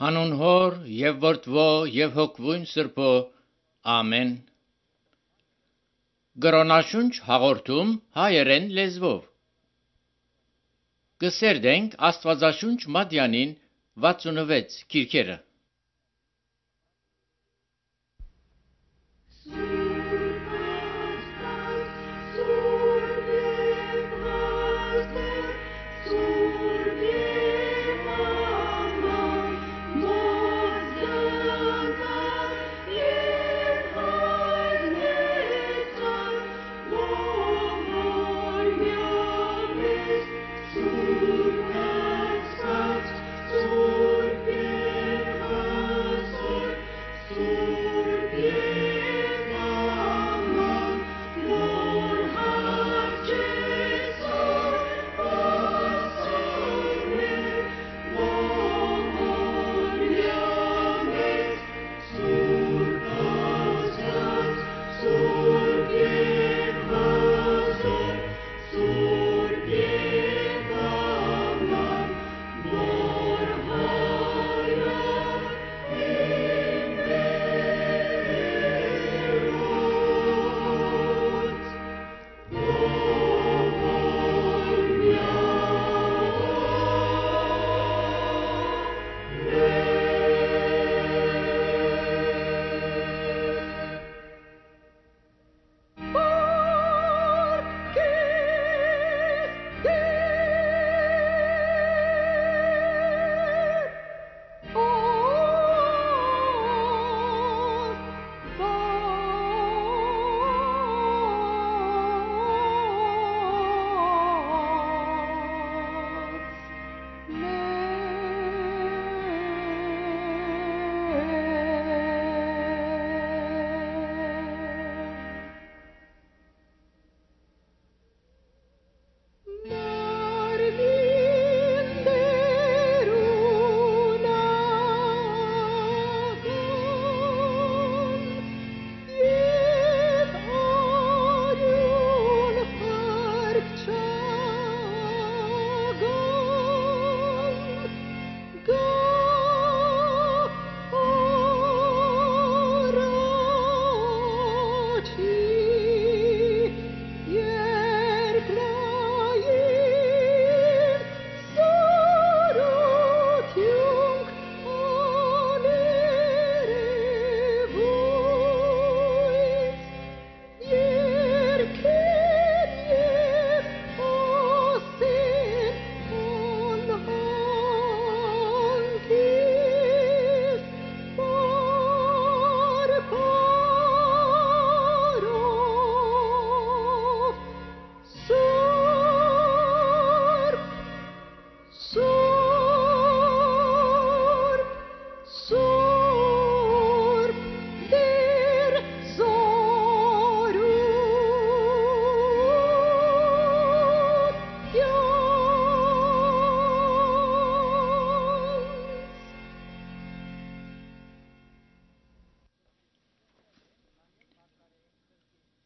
Հանուն Հոր եւ Որդվո եւ Հոգվույն Սրբո, ամեն։ Գրոնաշունչ հաղորդում հայերեն լեզվով։ Կսերդենք Աստվածաշունչ Մատյանին 66 քիրքերը։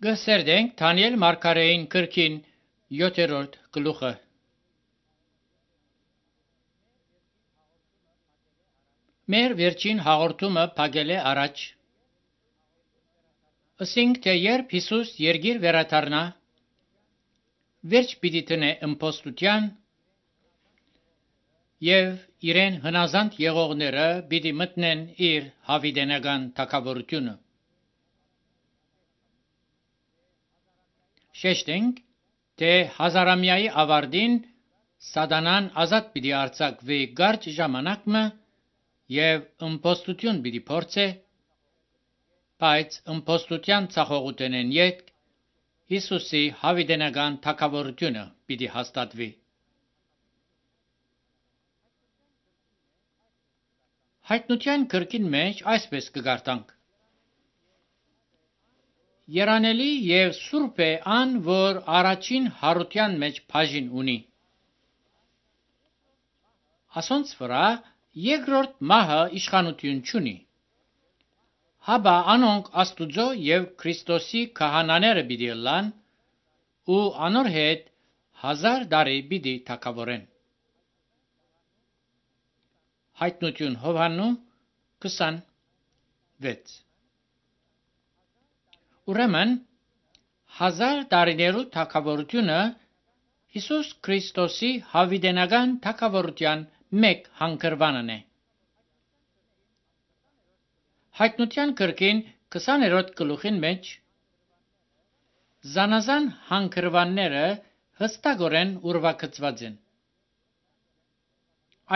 Կսերդենք Դանիել Մարգարեին կրկին 7-րդ գլուխը։ Մեր վերջին հաղորդումը փակել է առաջ։ Ասենք թե երբ Հիսուս երգիր վերադառնա, վերջ պիտի տնե ըմբոստության եւ իրեն հնազանդ եղողները պիտի մտնեն իր հավիտենական թագավորությունը։ Շեշտենք, թե հազարամյայի ավարտին սատանան ազատ պիտի արձակվի կարճ ժամանակը եւ ըմբոստություն պիտի փորձե, բայց ըմբոստության ցախողութենեն յետ Հիսուսի հավիտենական թագավորությունը պիտի հաստատվի։ Հայտնության գրքին մեջ այսպես կգարտանք. Երանելի եւ սուրբ է ան, որ առաջին հարության մեջ բաժին ունի։ Ասոնց վրա երկրորդ մահը իշխանություն չունի։ Հաբա անոնք Աստուծո եւ Քրիստոսի քահանաները պիտի լան ու անոր հետ 1000 տարի պիտի թագավորեն։ Հայտնություն Հովհաննու 26։ Ուրեմն 1000 տարիներու թագավորությունը Հիսուս Քրիստոսի հավիտենական թագավորության մեկ հանգրվանն է։ Հայտնության գրքին 20-րդ գլուխին մեջ զանազան հանգրվանները հստակորեն ուրվագծված են։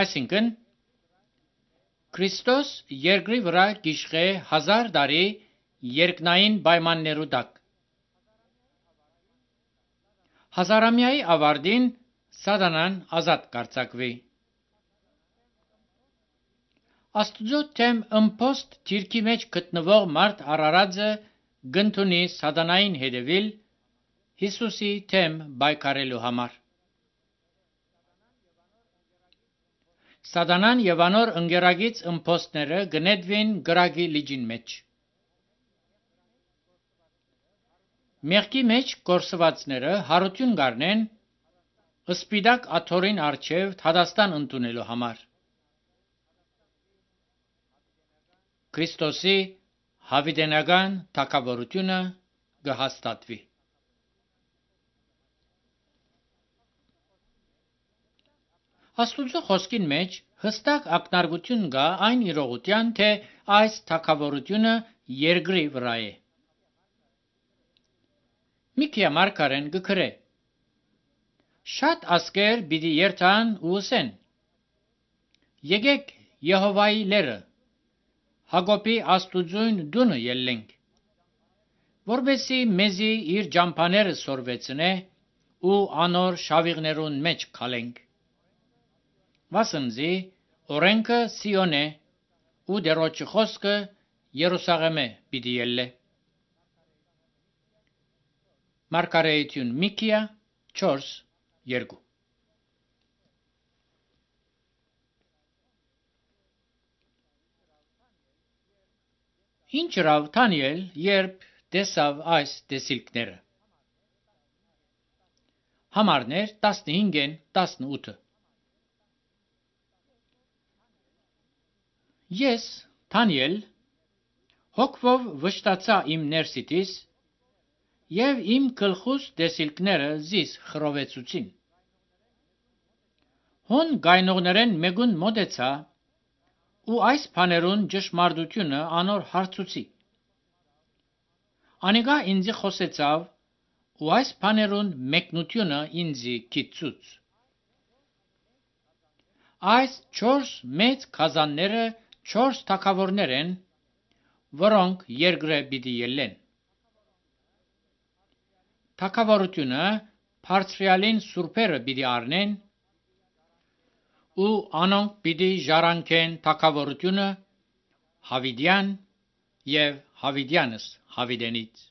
Այսինքն Քրիստոս երկրի վրա գիշխե 1000 տարի երկնային պայմաններու տակ։ Հազարամյայի ավարտին Սատանան ազատ կարձակվի։ Աստուծո թեմ ըմբոստ թիրքի մեջ գտնվող մարդ Արարածը գնդունի Սատանային հետևիլ Հիսուսի թեմ բայկարելու համար։ Սատանան եւ անոր ընկերագից ըմբոստները գնետվին գրագի լիջին մեջ։ Մեղքի մեջ կորսվածները հարություն գարնեն սպիտակ աթորին արչև Թադաստան ընդունելու համար։ Քրիստոսի հավիտենական թագավորությունը կհաստատվի։ Աստուծո խոսքին մեջ հստակ ակնարկություն կա այն իրողության, թե այս թագավորությունը երկրի վրա է։ Միքիա մարգարեն գկրե. Շատ ասկեր պիտի երթան ու ասեն. Եկեք Եհովայի լերը, Հակոբի Աստուծոյն դունը ելենք, որբեսի մեզի իր ջամփաները սորվեցնե ու անոր շավիղներուն մեջ քալենք։ Վասնզի օրենքը Սիոն է ու դերոջի խոսքը Երուսաղեմե պիտի ելլե։ Մարգարեություն Միքիա 4:2 Ինչ ρավ Դանիել, երբ տեսավ այս տեսիլքները։ Համարներ 15-ին 18։ Ես, Դանիել, հոգվով վշտացա իմ ներսիտիս եւ իմ գլխուս տեսիլքները զիս խրովեցուցին։ Հոն գայնողներեն մեկուն մոտեցա ու այս բաներուն ճշմարտությունը անոր հարցուցի։ Անիկա ինձի խոսեցավ ու այս բաներուն մեկնությունը ինձի գիտցուց։ Այս 4 մեծ քազանները 4 թագավորներ են, որոնք երկրը պիտի ելեն։ Թագավորությունը բարձրյալին սուրբերը պիտի առնեն ու անոնք պիտի ժառանգեն թագավորությունը Հավիդյան եւ Հավիդյանս Հավիդենից։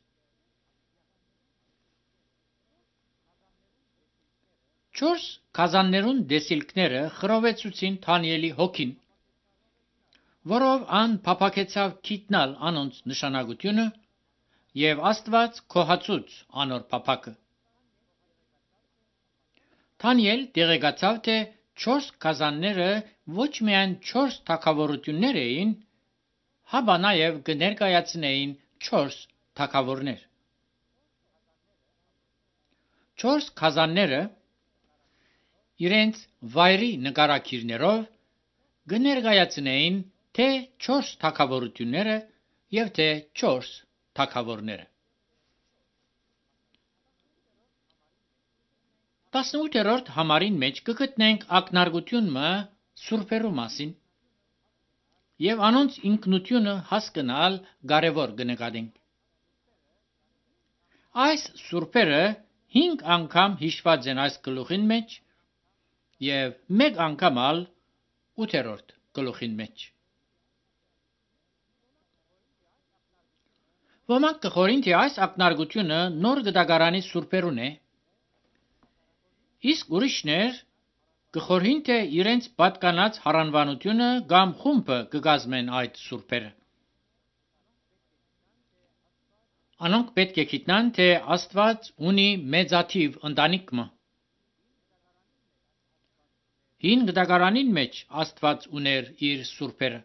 4 քազաններուն դեսիլքները խրովեցուցին Դանիելի հոգին, որով ան փափակեցավ գիտնալ անոնց նշանակությունը եւ Աստված քոհացուց անոր փափակը։ Դանիել տեղեկացավ, թե 4 քազանները ոչ միայն 4 թագավորություններ էին, հաբա նաև կներկայացնեին 4 թագավորներ։ 4 քազանները իրենց վայրի նկարակիրներով կներկայացնեին թե 4 թագավորությունները եւ թե 4 թագավորները։ 18-րդ համարին մեջ կգտնենք ակնարկությունը սուրբերու մասին եւ անոնց ինքնությունը հասկանալ կարեւոր կնկատենք։ Այս սուրբերը 5 անգամ հիշված են այս գլուխին մեջ եւ 1 անգամ ալ 8-րդ գլուխին մեջ։ Ոմանք կխորին, թե այս ակնարկությունը նոր գդագարանի սուրբերուն է, իսկ ուրիշներ կխորհին, թե իրենց պատկանած հարանվանությունը կամ խումբը կգազմեն այդ սուրբերը։ Անոնք պետք է գիտնան, թե Աստված ունի մեծաթիվ ընտանիք մը։ Հին գդագարանին մեջ Աստված ուներ իր սուրբերը։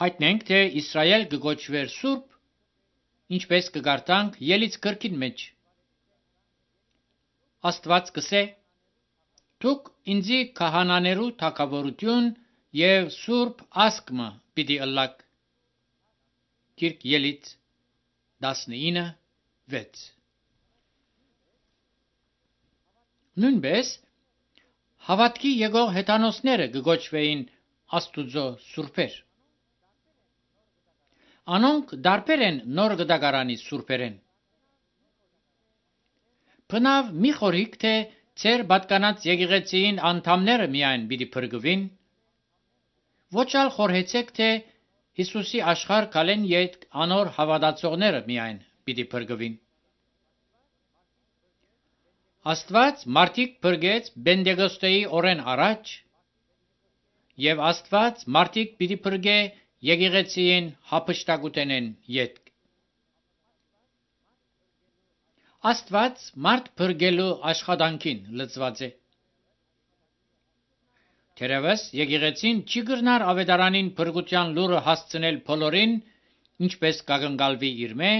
Հայտնենք, թե Իսրայել կգոչվեր սուրբ, ինչպես կգարտանք Ելից գրքին մեջ։ Աստված կսե. «Դուք ինձի քահանաներու թագավորություն եւ սուրբ ասկմը պիտի ըլլաք»։ Գիրք Ելից 19:6։ Նույնպես հավատքի եկող հեթանոսները կգոչվեին Աստուծո սուրբեր։ Անոնք դարբեր են նոր գդագարանի սուրբերեն։ Բնավ մի խորհիկ, թե ձեր պատկանած եկեղեցիին անդամները միայն պիտի փրկվին, ոչ ալ խորհեցեք, թե Հիսուսի աշխարհ կալեն յետ անոր հավատացողները միայն պիտի փրկվին։ Աստված մարդիկ փրկեց Պենտեկոստեի օրեն առաջ, եւ Աստված մարդիկ պիտի փրկե եկեղեցիին հափշտակութենեն յետ։ Աստված մարդ փրկելու աշխատանքին լծված է։ Թերևս եկեղեցին չի գրնար ավետարանին փրկության լուրը հասցնել բոլորին, ինչպես կակնկալվի իր մե,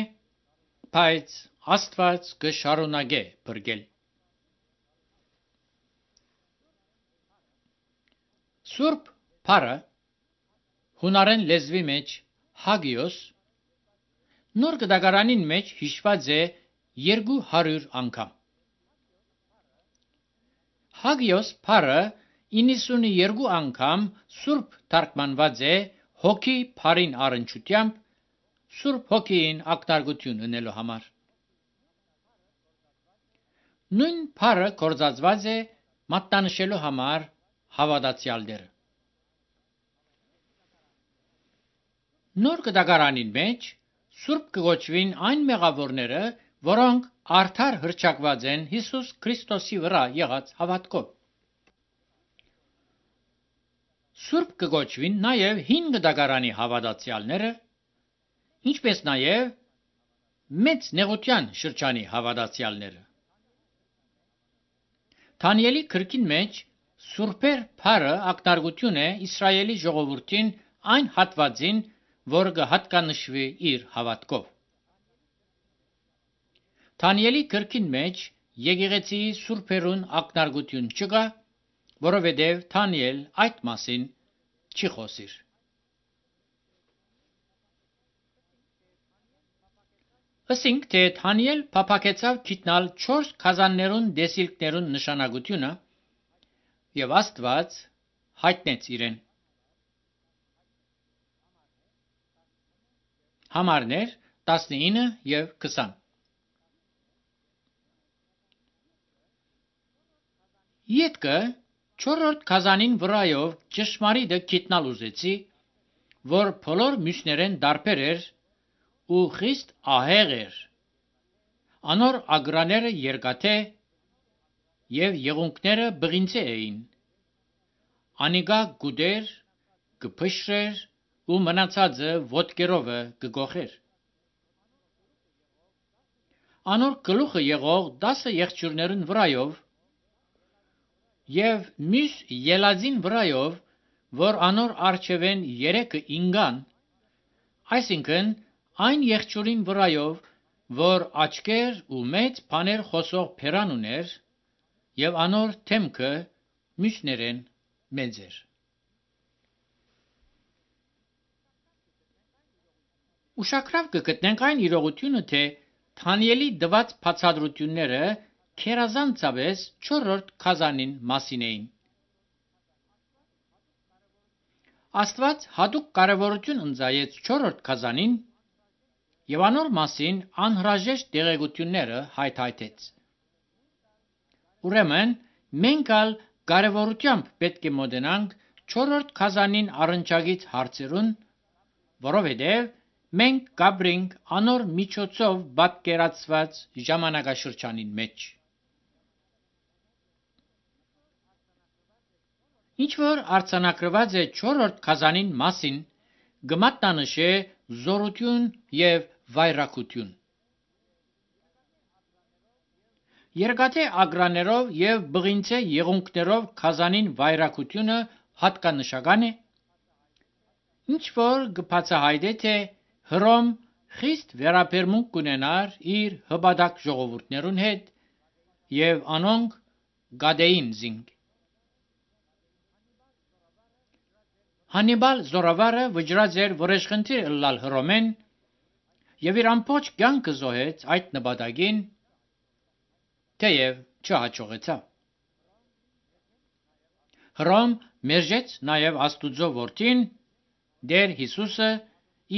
բայց Աստված կշարունակե փրկել։ Սուրբ Փարը հունարեն լեզվի մեջ հագիոս նոր գդագարանին մեջ հիշված է 200 անգամ։ Հագիոս Փարը 92 անգամ սուրբ թարգմանված է հոգի Փարին առնչությամբ Սուրբ Հոգին ակնարկություն ունելու համար։ Նույն Փարը կործածված է մատնանշելու համար հավատացյալները։ Նոր գդագարանին մեջ սուրբ կգոչվին այն մեղավորները, որոնք արդար հռչակված են Հիսուս Քրիստոսի վրա եղած հավատքով։ Սուրբ կգոչվին նաև հին գդագարանի հավատացյալները, ինչպես նաև մեծ նեղության շրջանի հավատացյալները։ Դանիելի գրքին մեջ Սուրբեր Փարը ակնարկություն է Իսրայելի ժողովրդին այն հատվածին, որ կհատկանշվի իր հավատքով։ Դանիելի գրքին մեջ եկեղեցիի սուրբերուն ակնարկություն չկա, որովհետև Դանիել այդ մասին չի խոսիր։ Ասենք, թե Դանիել փափակեցավ գիտնալ 4 քազաններուն դեսիլքներուն նշանակությունը եւ Աստված հայտնեց իրեն։ Համարներ 19 եւ 20։ Ետքը 4-րդ քազանին վրայով ճշմարիտը գիտնալ ուզեցի, որ բոլոր մյուսներեն դարբեր էր ու խիստ ահեղ էր։ Անոր ագրաները երկաթե եւ եղունգները բղինձե էին։ Անիկա գուդեր, կփշրեր ու մնացածը ոտքերովը կգոխեր։ Անոր գլուխը եղող 10 եղջյուրներուն վրայով եւ մյուս ելածին վրայով, որ անոր արջևեն 3 ինգան, այսինքն այն եղջյուրին վրայով, որ աչքեր ու մեծ բաներ խոսող փերան ուներ, եւ անոր թեմքը մյուսներեն մեծ էր։ Ուշագրավ կգտնենք այն իրողությունը, թե Դանիելի դված բացատրությունները քերազանցապես 4-րդ քազանին մասին էին։ Աստված հատուկ կարևորություն ընծայեց 4-րդ քազանին եւ անոր մասին անհրաժեշտ տեղեկությունները հայթայթեց։ Ուրեմն մենք ալ կարևորությամբ պետք է մոտենանք 4-րդ քազանին առնչագից հարցերուն, որովհետև մենք կապրենք անոր միջոցով պատկերացված ժամանակաշրջանին մեջ։ Ինչ որ արձանագրված է 4-րդ քազանին մասին, կմատնանշե զորություն եւ վայրակություն։ Երկաթե ագրաներով և բղինցե եղունգներով քազանին վայրակությունը հատկանշական է, ինչ որ կբացահայտե, թե Հռոմ խիստ վերաբերմունք կունենար իր հպատակ ժողովուրդներուն հետ և անոնք գադեին զինք։ Հանիբալ զորավարը վճռած էր վրեժխնդիր ըլլալ Հռոմեն և իր ամբողջ կյանքը զոհեց այդ նպատակին, թեև չհաջողեցավ։ Հռոմ մերժեց նաև Աստուծո որդին Տեր Հիսուսը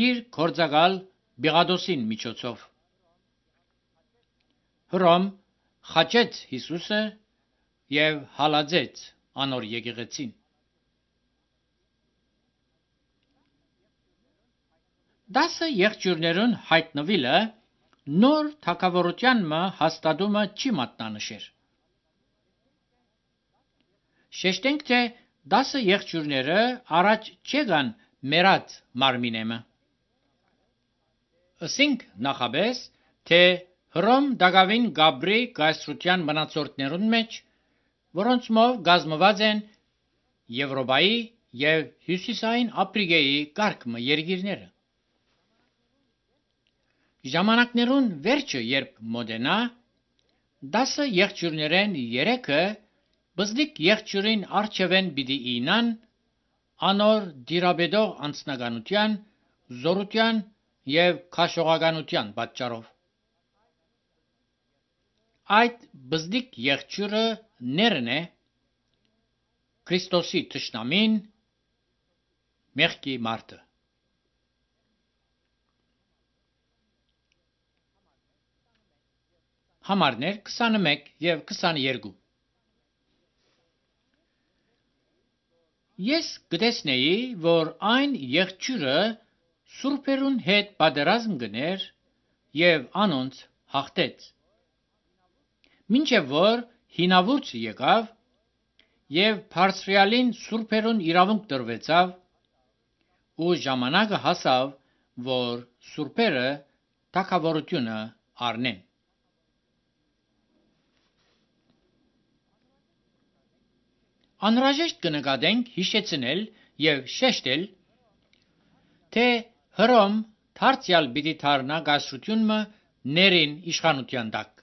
իր գործակալ Պիղադոսին միջոցով։ Հռոմ խաչեց Հիսուսը և հալածեց անոր եկեղեցին։ Դասը եղջյուրներուն հայտնվելը նոր թագավորության հաստատումը չի մատնանշեր։ Շեշտենք, թե 10 եղջյուրները առաջ չեկան մեռած մարմինեմը։ Ըսինք նախաբես, թե Հռոմ դակավին Գաբրի կայսրության մնացորդներուն մեջ, որոնցմով կազմված են Եվրոպայի և Հյուսիսային Աֆրիկայի կարգմը երկիրները։ Ժամանակներուն վերջը երբ մոտենա, 10 եղջյուրներեն 3-ը բզդիկ եղջյուրին առջևեն պիտի իյնան անոր դիրաբեդող անձնականության, զորության և քաշողականության պատճառով։ Այդ բզդիկ եղջյուրը ներն է Քրիստոսի թշնամին, մեղքի մարդը։ Համարներ 21 և 22 Ես կտեսնեի, որ այն եղջյուրը սուրբերուն հետ պատերազմ գներ և անոնց հաղթեց, մինչև որ հինավուրց եկավ և բարձրյալին սուրբերուն իրավունք տրվեցավ ու ժամանակը հասավ, որ սուրբերը թագավորությունը առնեն։ Անհրաժեշտ կնկատենք հիշեցնել և շեշտել, թե Հռոմ դարձյալ պիտի դառնա կայսրությունը ներին իշխանության տակ։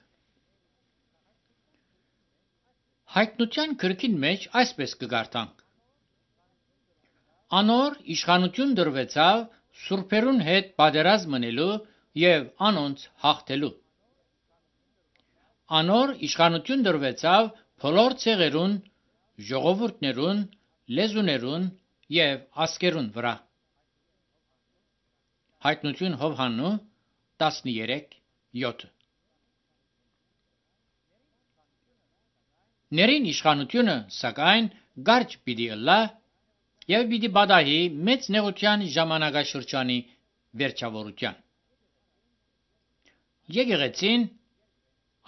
Հայտնության գրքին մեջ այսպես կկարդանք. Անոր իշխանություն տրվեցավ սուրբերուն հետ պատերազմ մնելու և անոնց հաղթելու։ Անոր իշխանություն տրվեցավ բոլոր ցեղերուն, ժողովուրդներուն, լեզուներուն և ազգերուն վրա։ Հայտնություն Հովհաննու 13:7 Ներին իշխանությունը, սակայն, կարճ պիտի ըլլա և պիտի պատահի մեծ նեղության ժամանակաշրջանի վերջավորության։ Եկեղեցին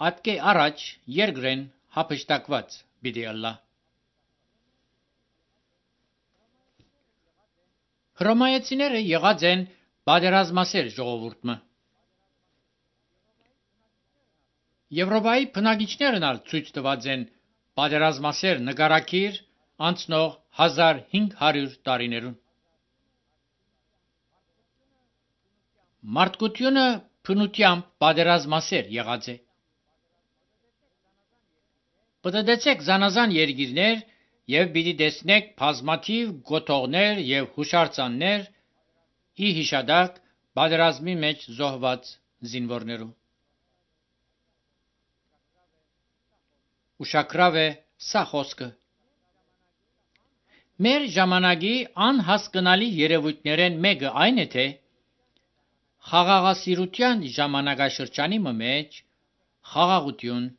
ատկե առաջ երկրեն հափշտակված պիտի ըլլա։ Հռոմայեցիները եղած են պատերազմասեր ժողովուրդը։ Եվրոպայի բնակիչներն ալ ցույց տված են պատերազմասեր նկարագիր անցնող 1500 տարիներուն։ Մարդկությունը բնությամբ պատերազմասեր եղած է։ Պտտեցեք զանազան երկիրներ և պիտի տեսնեք բազմաթիվ կոթողներ և հուշարձաններ՝ ի հիշատակ պատերազմի մեջ զոհված զինվորներու։ Ուշագրավ է սա խոսքը։ Մեր ժամանակի անհասկանալի երևույթներեն մեկը այն է, թե խաղաղասիրության ժամանակաշրջանի մեջ խաղաղություն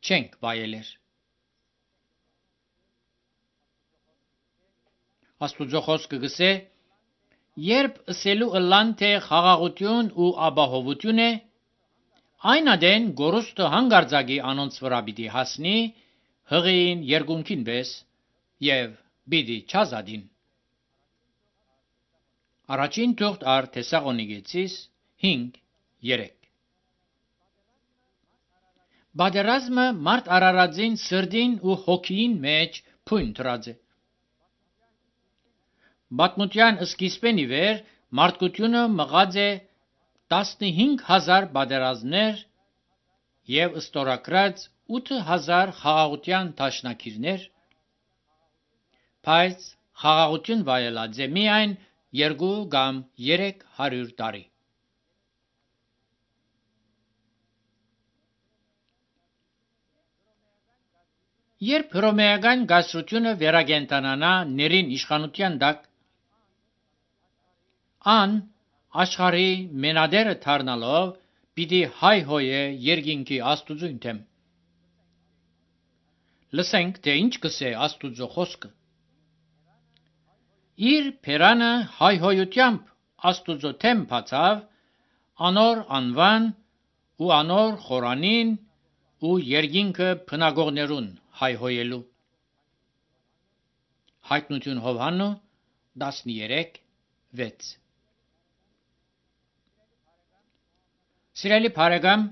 չենք վայելեր։ Աստուծո խոսքը գսե. երբ ըսելու ըլլան, թե խաղաղություն ու ապահովություն է, այն ադեն գորուստը հանգարձակի անոնց վրա պիտի հասնի հղիին երկունքին պես և պիտի չազատին։ Առաջին թուղթ առ Թեսաղոնիկեցիս 5:3 Բادرազմը մարդ արարածին սրդին ու հոգին մեջ փույն դրած է։ Պատմության սկիզբեն ի վեր մարդկությունը մղած է 15000 բادرազմներ եւ ստորագրած 8000 խաղաղության դաշնակիրներ, բայց խաղաղություն վայելած է միայն 2 կամ 300 տարի։ Երբ հռոմեական գասրությունը վերագենտանանա ներին իշխանության տակ, ան աշխարհի մենադերը դառնալով պիտի հայհոյե երկինքի Աստուծուն դեմ։ Լսենք, թե ինչ կսե Աստուծո խոսքը։ Իր փերանը հայհոյությամբ Աստուծո դեմ բացավ, անոր անվան ու անոր խորանին ու երկինքը բնագողներուն հայհոյելու։ Հայտնություն Հովհաննու 13:6։ Սիրելի բարեկամ,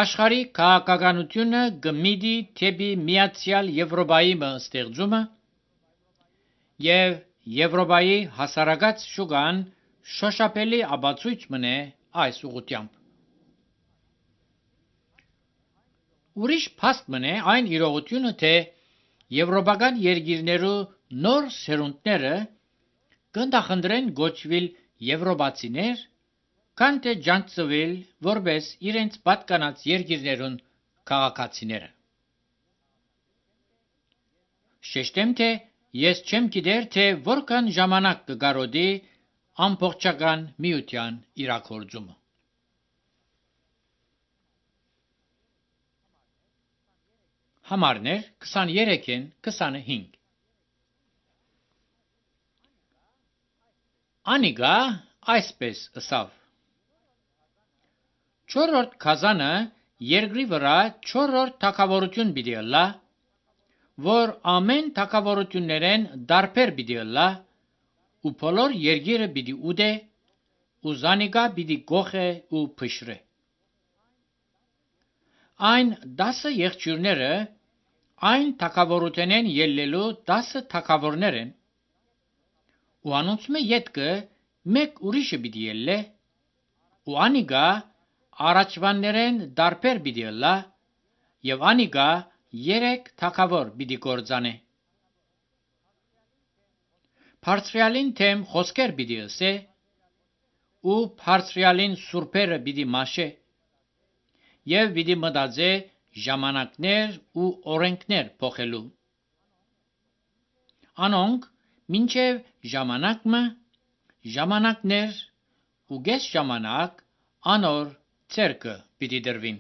աշխարհի քաղաքականությունը գմիդի թեպի միացյալ Եվրոպայի ստեղծումը եւ Եվրոպայի հասարակած շուկան շոշափելի ապացույց մնե այս ուղղությամբ։ Ուրիշ փաստ մնե այն իրողությունը, թե եվրոպական երկիրներու նոր սերունդները կնդախնդրեն գոչվել եվրոպացիներ, քան թե ջանցվել որպես իրենց պատկանած երկիրներուն քաղաքացիները։ Շեշտեմ, թե ես չեմ գիտեր, թե որքան ժամանակ կգարոդի ամբողջական միության իրագործումը։ Համարներ 23-ին 25։ Անիգա այսպես ըսավ. Չորրորդ քազանը երկրի վրա չորրորդ թագավորություն պիտի ըլլա, որ ամեն թագավորություններեն դարբեր պիտի ըլլա, ու բոլոր երկիրը պիտի ուդե, ու զանիգա պիտի գոխե ու փշրե։ Այն 10 եղջյուրները այն թագավորութենեն ելլելու 10 թագավորներ են, ու անոնցմե ետքը մեկ ուրիշը պիտի ելլե, ու անիգա առաջվաններեն դարբեր պիտի ըլլա, եւ անիգա 3 թագավոր պիտի գործանե։ Բարձրյալին թեմ խոսքեր պիտի ըսե, ու բարձրյալին սուրբերը պիտի մաշե, եւ պիտի մտածե ժամանակներ ու օրենքներ փոխելու։ Անոնք մինչև ժամանակներ ու գես ժամանակ անոր ցերկը պիտի դրվին։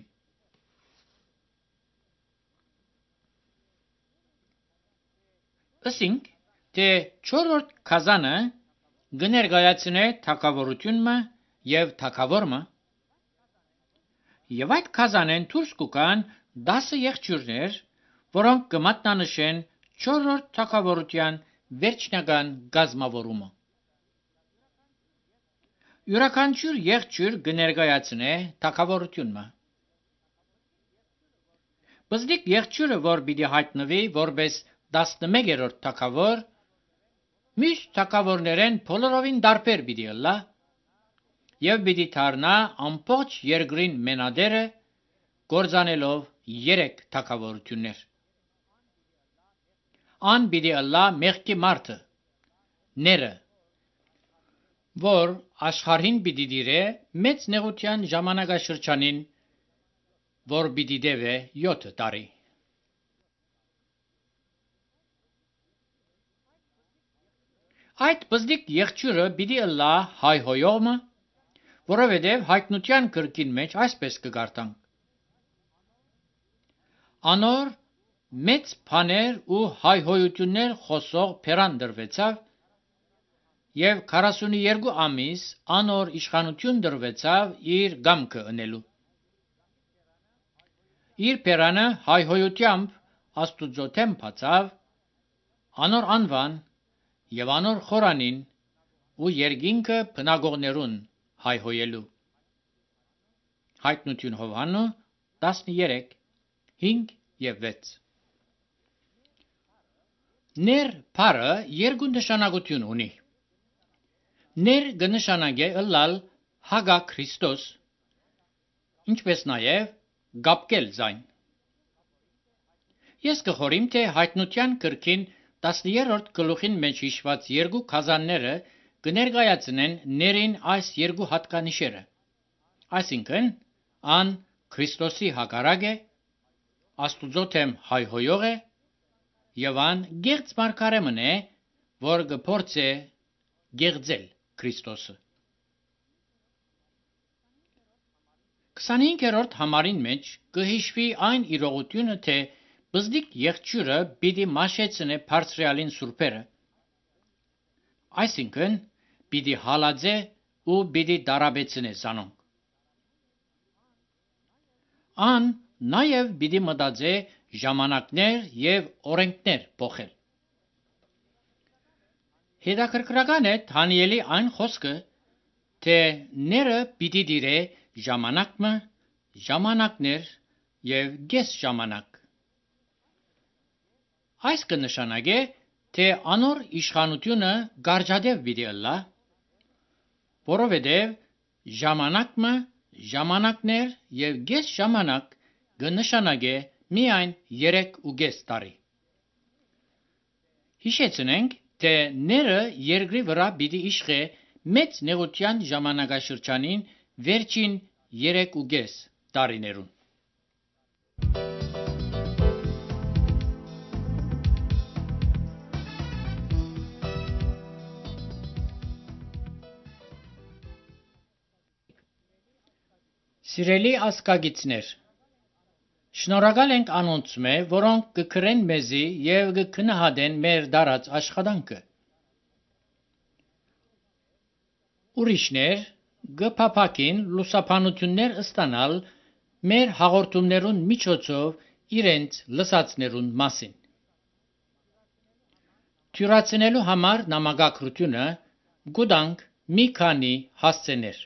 Ասինք, թե չորրորդ քազանը գներգայացնե թագավորությունը եւ թագավորը, եւ այդ քազանեն դուրս կգան 10 եղջյուրներ, որոնք կմատնանշեն չորրորդ թագավորության վերջնական գազմավորումը։ Յուրաքանչյուր եղջյուր կներկայացնե թագավորությունը։ Բզդիկ եղջյուրը, որ պիտի հայտնվի որպես 11-րդ թագավոր, մյուս թագավորներեն բոլորովին դարբեր պիտի ըլլա, եւ պիտի դառնա ամբողջ երկրին մենադերը, գործանելով 3 թագավորություններ։ Ան պիտի ըլլա մեղքի մարդը, ները, որ աշխարհին պիտի դիրե մեծ նեղության ժամանակաշրջանին, որ պիտի դեվե 7 տարի։ Այդ բզդիկ եղջյուրը պիտի ըլլա հայհոյողը, որովհետև հայտնության գրքին մեջ այսպես կգարտանք. Անոր մեծ բաներ ու հայհոյություններ խոսող փերան դրվեցավ, եւ 42 ամիս անոր իշխանություն դրվեցավ իր գամքը ընելու։ Իր փերանը հայհոյությամբ Աստուծո դեմ բացավ, անոր անվան եւ անոր խորանին ու երկինքը բնագողներուն հայհոյելու։ Հայտնություն Հովհաննու 13, 5 և 6։ Ներ բառը երկու նշանակություն ունի։ Ներ կնշանակե ըլլալ հագա Քրիստոս, ինչպես նաև գապկել ձայն։ Ես կխորիմ, թե հայտնության գրքին 10-րդ գլուխին մեջ հիշված երկու գազանները կներկայացնեն ներին այս երկու հատկանիշերը, այսինքն ան Քրիստոսի հակառակ է, Աստուծո թեմ հայհոյող է և ան գեղձ մարգարեմն է, որ կփորձե գեղձել Քրիստոսը։ 25-րդ համարին մեջ կհիշվի այն իրողությունը, թե բզդիկ եղջյուրը պիտի մաշեցնե բարձրյալին սուրբերը, այսինքն պիտի հալածե ու պիտի դարաբեցնե զանոնք։ Ան նաև պիտի մտածե ժամանակներ և օրենքներ փոխել։ Հետաքրքրական է Դանիելի այն խոսքը, թե ները պիտի դիրե ժամանակը, ժամանակներ և կես ժամանակ։ Այս կնշանակե, թե անոր իշխանությունը գարջադև պիտի ըլլա, որովհետև ժամանակը, ժամանակներ և կես ժամանակ կնշանակե միայն 3.5 տարի։ Հիշեցնենք, թե ները երկրի վրա պիտի իշխե մեծ նեղության ժամանակաշրջանին վերջին 3.5 տարիներուն։ Սիրելի ազգագիցներ, շնորհակալ ենք անոնցմե, որոնք կգրեն մեզի և կքննադեն մեր դարած աշխատանքը։ Ուրիշներ կփափակին լուսաբանություններ ստանալ մեր հաղորդումներուն միջոցով իրենց լսածներուն մասին։ Թյուրացնելու համար նամակագրությունը գուտանք մի քանի հասցեներ։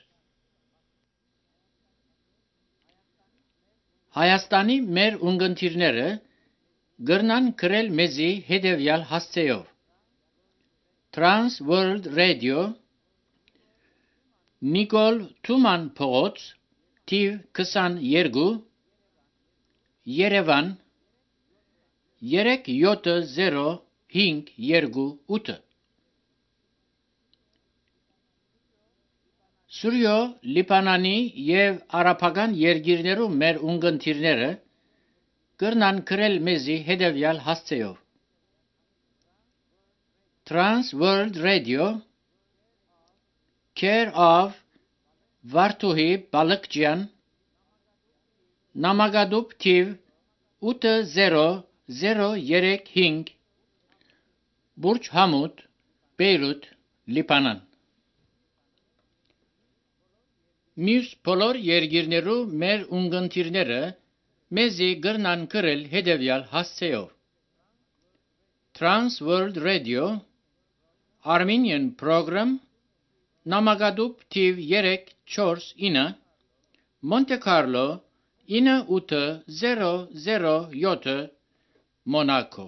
Հայաստանի մեր ունգընտիրները գրնան գրել մեզի հետևյալ հասցեով. Trans World Radio, Նիկոլ Թուման փողոց, թիվ 22, Երևան 37058։ Սուրյո Լիբանանի և արաբական երկիրներու մեր ունգընտիրները կրնան գրել մեզի հետևյալ հասցեով. Trans World Radio, Care of Վարդուհի Բալկջյան, Նամակադուբ թիվ 80035, Բուրջ Համուդ, Բեյրութ, Լիբանան։ Մյուս բոլոր երկիրներու մեր ունգընտիրները մեզի գրնան գրել հետևյալ հասցեով. Trans World Radio, Armenian Program, Նամակադուբ թիվ 349, Monte Carlo 9807, Monaco։